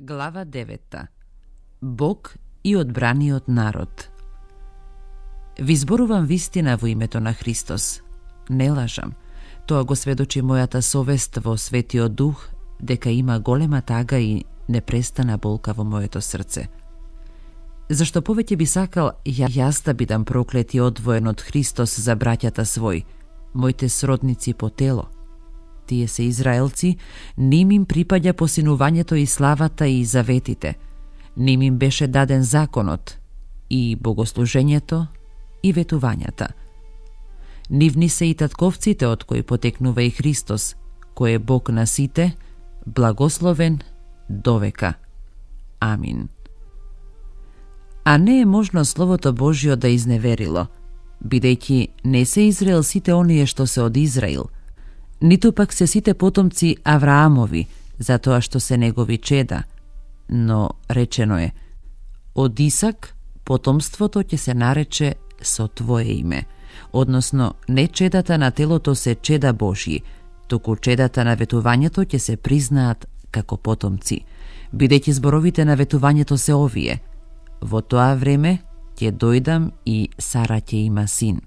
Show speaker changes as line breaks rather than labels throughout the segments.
Глава 9. Бог и одбраниот народ. Ви зборувам вистина во името на Христос. Не лажам. Тоа го сведочи мојата совест во Светиот Дух, дека има голема тага и непрестана болка во моето срце. Зашто повеќе би сакал јас да бидам проклет и одвоен од Христос за браќата свој, моите сродници по тело. Тие се израелци, ним им припаѓа посинувањето и славата и заветите. Ним им беше даден законот, и богослужењето, и ветувањата. Нивни се и татковците од кои потекнува и Христос, кој е Бог на сите, благословен довека. Амин. А не е можно Словото Божјо да изневерило, бидејќи не се Израел сите оние што се од Израил, ниту пак се сите потомци Авраамови, затоа што се негови чеда, но речено е: од Исак потомството ќе се нарече со твое име, односно не чедата на телото се чеда Божји, туку чедата на ветувањето ќе се признаат како потомци, бидејќи зборовите на ветувањето се овие: во тоа време ќе дојдам и Сара ќе има син.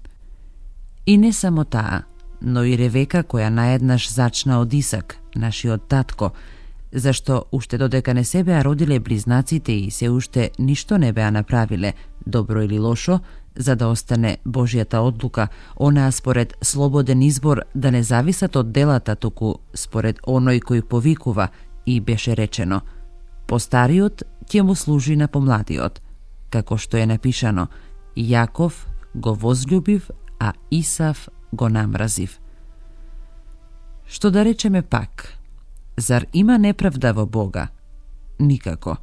И не само таа, но и Ревека, која наеднаш зачна од Исак, нашиот татко, зашто уште додека не се беа родиле близнаците и се уште ништо не беа направиле, добро или лошо, за да остане Божјата одлука, онаа според слободен избор да не зависат од делата, туку според оној кој повикува, и беше речено: постариот ќе му служи на помладиот, како што е напишано: Јаков го возљубив, а Исав го намразив. Што да речеме пак? Зар има неправда во Бога? Никако.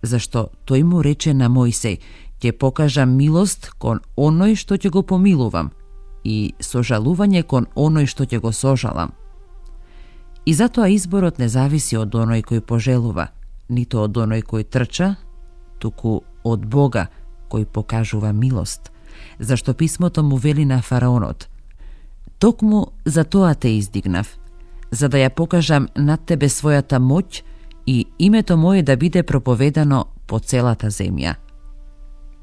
Зашто тој му рече на Мојсеј: ќе покажам милост кон оној што ќе го помилувам и сожалување кон оној што ќе го сожалам. И затоа изборот не зависи од оној кој пожелува, нито од оној кој трча, туку од Бога кој покажува милост, зашто писмото му вели на фараонот: токму за тоа те издигнав, за да ја покажам над тебе својата моќ и името мое да биде проповедано по целата земја.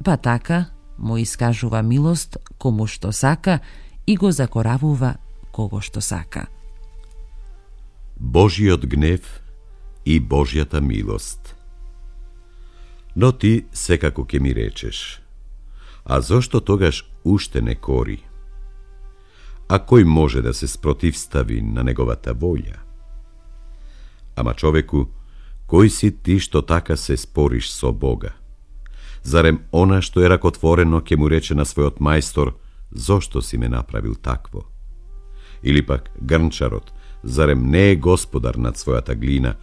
Па така му искажува милост кому што сака и го закоравува кого што сака.
Божиот гнев и Божјата милост. Но ти секако ќе ми речеш: а зошто тогаш уште не кори? А кој може да се спротивстави на неговата волја? Ама човеку, кој си ти што така се спориш со Бога? Зарем она што е ракотворено ќе му рече на својот мајстор: зошто си ме направил такво? Или пак грнчарот, зарем не е господар над својата глина,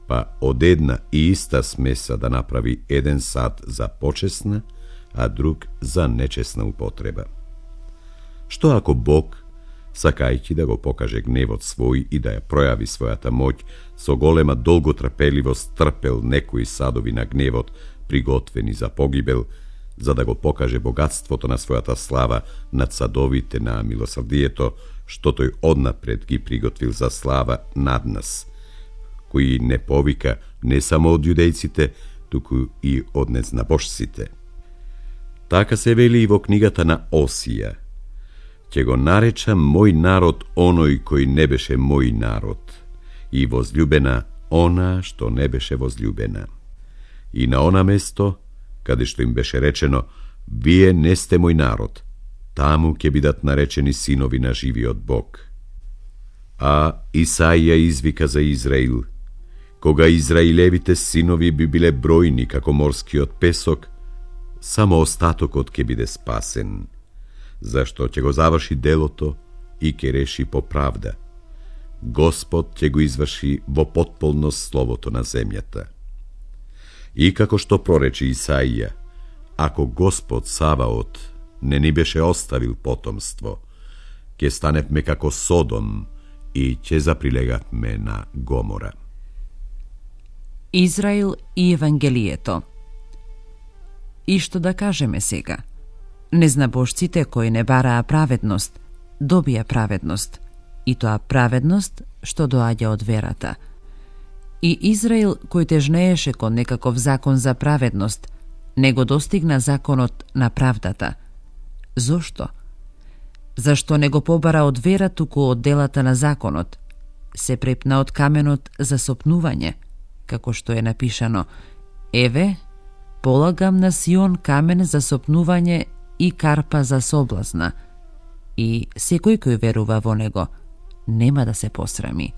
па од една и иста смеса да направи еден сад за почесна, а друг за нечесна употреба? Што ако Бог, сакајќи да го покаже гневот свој и да ја пројави својата моќ, со голема долготрпеливост трпел некои садови на гневот, приготвени за погибел, за да го покаже богатството на својата слава над садовите на милосрдието, што тој однапред ги приготвил за слава над нас, кои не повика не само од јудејците, туку и од незнабожците. Така се вели и во книгата на Осија: ќе го наречам мој народ оној кој не беше мој народ, и возљубена она што не беше возљубена. И на она место, каде што им беше речено: вие не сте мој народ, таму ќе бидат наречени синови на живиот Бог. А Исаија извика за Израил: кога израилевите синови би биле бројни како морскиот песок, само остатокот ќе биде спасен, зашто ќе го заврши делото и ќе реши по правда. Господ ќе го изврши во потполност словото на земјата. И како што прорече Исаија: ако Господ Саваот не ни беше оставил потомство, ќе станевме како Содом и ќе заприлегавме на Гомора.
Израил и Евангелието. И што да кажеме сега? Незнабожците кои не бараа праведност, добија праведност, и тоа праведност што доаѓа од верата. И Израил, кој тежнееше кон некаков закон за праведност, не го достигна законот на правдата. Зошто? Зашто не го побара од вера, туку од делата на законот? Се препна од каменот за сопнување, како што е напишано: Еве, полагам на Сион камен за сопнување и карпа за соблазна, и секој кој верува во него нема да се посрами.